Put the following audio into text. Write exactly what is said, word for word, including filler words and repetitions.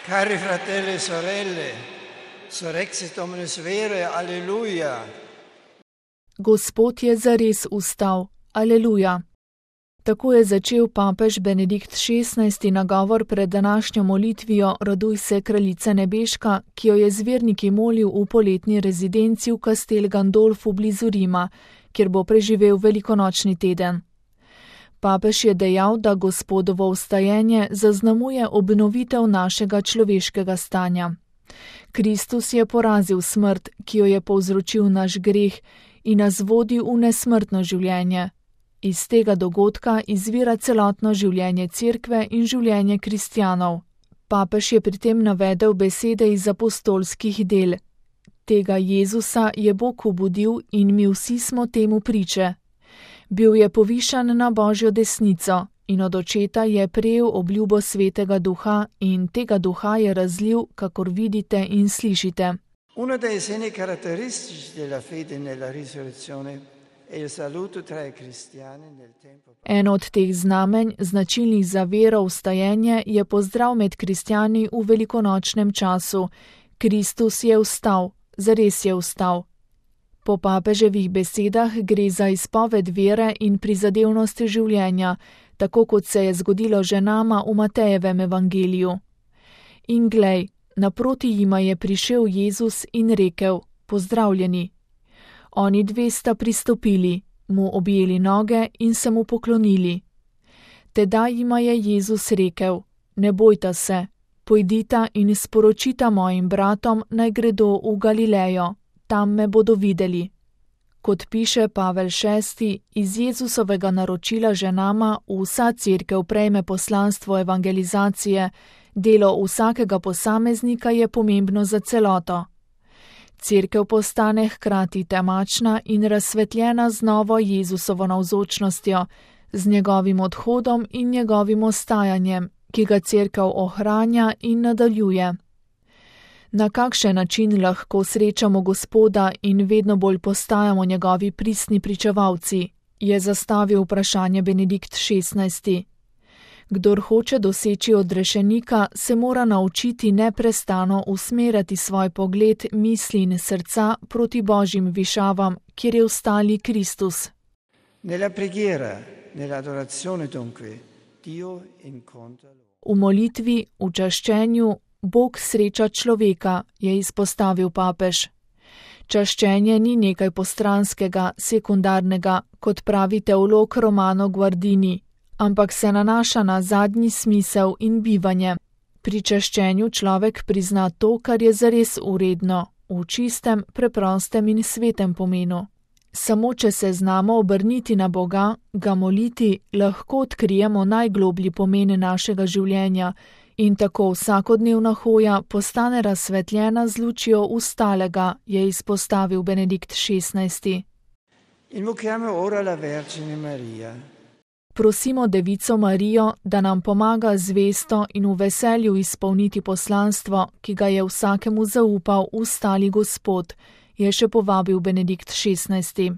Cari fratelli e sorelle, surrexit omnes vere, alleluja. Gospod je zares vstal, aleluja. Tako je začel papež Benedikt šestnajsti nagovor pred današnjo molitvijo Raduj se, kraljice nebeška, ki jo je z verniki molil v poletni rezidenci v Castel Gandolfu blizu Rima, kjer bo preživel velikonočni teden. Papež je dejal, da Gospodovo vstajenje zaznamuje obnovitev našega človeškega stanja. Kristus je porazil smrt, ki jo je povzročil naš greh, in nas vodi v nesmrtno življenje. Iz tega dogodka izvira celotno življenje Cerkve in življenje kristjanov. Papež je pri tem navedel besede iz apostolskih del. Tega Jezusa je Bog obudil in mi vsi smo temu priče. Bil je povišan na Božjo desnico in od očeta je prejel obljubo Svetega Duha in tega Duha je razlil, kakor vidite in slišite. Uno dei segni caratteristici della fede nella risurrezione è il saluto tra i cristiani nel tempo. Eno od teh znamenj, značilnih za vero vstajenje, je pozdrav med kristjani v velikonočnem času. Kristus je vstal, zares je vstal. Po papeževih besedah gre za izpoved vere in prizadevnost življenja, tako kot se je zgodilo že nama v Matejevem evangeliju. In glej, naproti jima je prišel Jezus in rekel, pozdravljeni. Oni dve sta pristopili, mu objeli noge in se mu poklonili. Tedaj jima je Jezus rekel, ne bojta se, pojdita in sporočita mojim bratom, naj gredo v Galilejo, tam me bodo videli. Kot piše Pavel šesti, iz Jezusovega naročila ženama vsa Cerkev prejme poslanstvo evangelizacije, delo vsakega posameznika je pomembno za celoto. Cerkev postane hkrati temačna in razsvetljena z novo Jezusovo navzočnostjo, z njegovim odhodom in njegovim ostajanjem, ki ga Cerkev ohranja in nadaljuje. Na kakšen način lahko srečamo Gospoda in vedno bolj postajamo njegovi pristni pričevalci, je zastavil vprašanje Benedikt šestnajsti. Kdor hoče doseči odrešenika, se mora naučiti neprestano usmerjati svoj pogled, misli in srca proti Božjim višavam, kjer je vstali Kristus. Nella preghiera, nell'adorazione dunque, Dio incontra. V molitvi, v čaščenju, Bog sreča človeka, je izpostavil papež. Čaščenje ni nekaj postranskega, sekundarnega, kot pravi teolog Romano Guardini, ampak se nanaša na zadnji smisel in bivanje. Pri čaščenju človek prizna to, kar je zares uredno, v čistem, preprostem in svetem pomenu. Samo če se znamo obrniti na Boga, ga moliti, lahko odkrijemo najgloblji pomen našega življenja in tako vsakodnevna hoja postane razsvetljena z lučjo vstalega, je izpostavil Benedikt šestnajsti. Invochiamo ora la Vergine Maria. Prosimo Devico Marijo, da nam pomaga zvesto in v veselju izpolniti poslanstvo, ki ga je vsakemu zaupal vstali Gospod, je še povabil Benedikt šestnajsti.